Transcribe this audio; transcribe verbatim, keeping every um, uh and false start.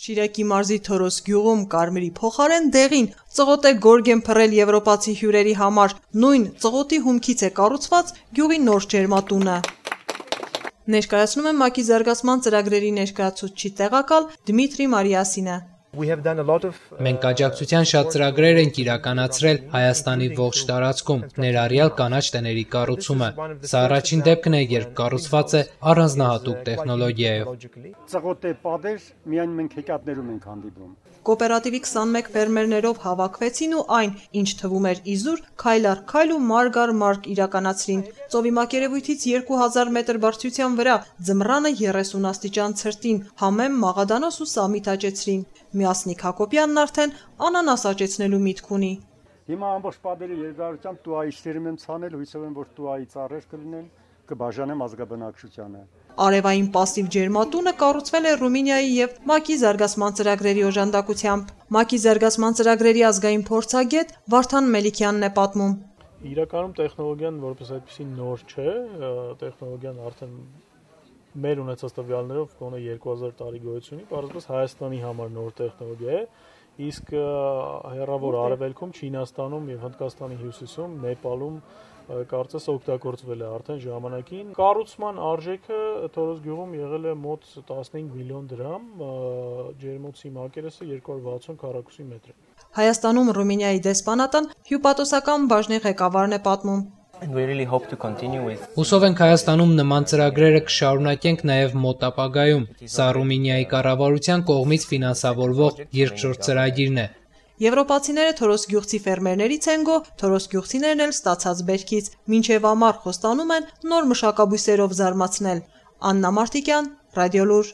Շիրակի մարզի Թորոս գյուղում կարմիրի փոխարեն դեղին ծղոտ է գորգ են փռել եվրոպացի հյուրերի համար, նույն ծղոտի հումքից է կառուցված գյուղի նոր ջերմատունը։ Ներկայացնում է ՄԱԿ-ի զարգացման ծրագրերի ներկայացուցիչ տեղակալ Դմիտրի Մարիասինը։ Մենք աջակցության շատ ծրագրեր ենք իրականացրել Հայաստանի ողջ տարածքում, ներառյալ կանաչ տների կառուցումը։ Սա առաջին դեպքն է, երբ կառուցված է առանձնահատուկ տեխնոլոգիայով։ Ծղոտ է պատեր, միայն մենք հեքիաթներում ենք հանդիպում։ Կոոպերատիվի քսանմեկ ֆերմերներով հավաքվեցին ու այն, ինչ թվում էր իզուր, քայլ առ քայլ ու մարկ առ մարկ իրականացրին։ Ծովի մակերևույթից երկու հազար մետր բարձրության վրա ձմռանը երեսուն աստիճան ցրտին, համեմ մաղադանոս ու սամիտ աճեցրին։ Միասնիկ Հակոբյանն արդեն անանաս աճեցնելու միտք ունի։ Հիմա ամբողջ պատերի երկարությամբ տուայի սերում եմ ցանել, հույսով եմ, որ տուայի ծառեր կլինեն, կբաժանեմ ազգաբնակչությանը։ Արևային պասիվ ջերմատունը կառուցվել է Ռումինիայի եւ ՄԱԿ-ի զարգացման ծրագրերի օժանդակությամբ։ ՄԱԿ-ի զարգացման ծրագրերի ազգային փորձագետ Վարդան Մելիքյանն է պատմում։ Իրականում տեխնոլոգիան որպես այդպեսի նոր չէ, տեխնոլոգիան արդեն մեր ունեցած տվյալներով գոնե երկու հազար տարի գոյություն ունի, պարզապես Հայաստանի համար նոր տեխնոլոգիա է, իսկ հեռավոր արևելքում, Չինաստանում եւ Հնդկաստանի հյուսիսում, Նեպալում կարծես օգտագործվել է արդեն ժամանակին։ Կառուցման արժեքը Թորոս գյուղում եղել է մոտ տասնհինգ միլիոն դրամ, ջերմոցի մակերեսը երկու հարյուր վաթսուն քառակուսի մետր է։ Հայաստանում Ռումինիայի դեսպանատան հյուպատոսական բաժնի ղեկավարն է պատմում։ Հուսով ենք Հայաստանում նման ծրագրերը կշարունակենք նաև մոտ ապագայում։ Սա Ռումինիայի կառավարության կողմից ֆինանսավորվող երկրորդ ծրագիրն է։ Եվրոպացիները Թորոս գյուղցի ֆերմերներից են գո, Թորոս գյուղցիներն էլ ստացած բերքից, մինչև ամառ խոստանում են նոր մշակաբույսերով զարմացնել։ Աննա Մարտիկյան, Ռադիոլուր։